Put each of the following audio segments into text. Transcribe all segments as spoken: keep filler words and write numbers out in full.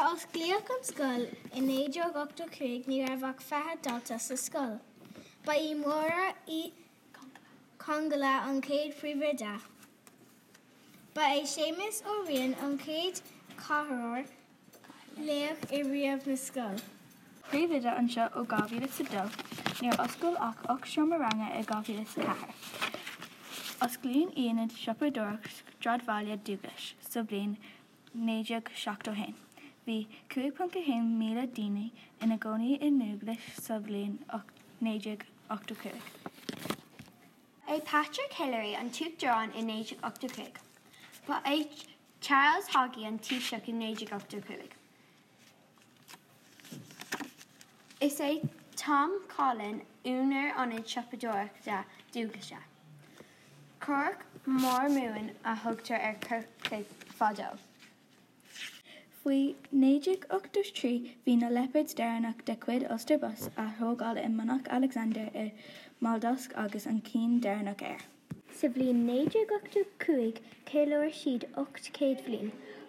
a osclaíodh an scoil i naoi déag ochtó cúig ní raibh ach fiche dalta sa scoil. Ba í Máire Uí Chonghaile an chéad phríomhoide. Ba é Séamus Ó Riain an chéad chathaoirleach i riamh na scoil. Príomhoide anseo ó dhá mhíle is a dó, níor osclaíodh ach ocht seomra ranga i dhá mhíle is a ceathair. Osclaíonn Ionad Siopadóireachta Sráidbhaile Dúglais sa bhliain naoi déag seachtó haon. Bhí cúig ponc a haon míle daoine ina gcónaí i nDúglais sa bhliain naoi déag ochtó cúig. Ba é Patrick Hillery an tUachtarán i naoi déag ochtó cúig. Ba é Charles Haughey an Taoiseach i naoi déag ochtó cúig. Is é Tom Coughlan úinéir Ionad Siopadóireachta Dúglaise. Corc Mhórmhumhan a thugtar ar Chorcaigh fadó. Faoi naoi déag ochtó trí bhí na Leopards deireanach de chuid Ulster Bus á thógáil i Monach Alexander i mBalldosc agus an ceann deireanach ar. Sa bhliain naoi déag ochtó cúig cheiliúir siad ocht céad bhliain.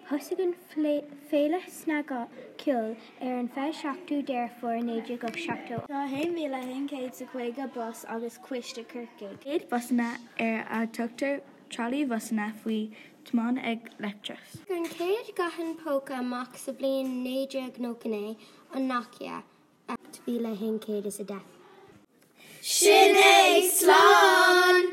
Thosaigh an Féile Snagcheoil ar an fiche seachtú Deireadh Fómhair naoi déag seachtó. Tá haon mhíle haon chéad is caoga bus agus coiste Corcaigh. Chéad bhusanna ar a dtugtar tralaí-bhusanna faoi tiomáint ag leictreachas. An chéad ghuthán póca amach sa bhliain naoi déag nócha naoi, an Nokia ocht mhíle haon chéad is a deich. Sin é slán!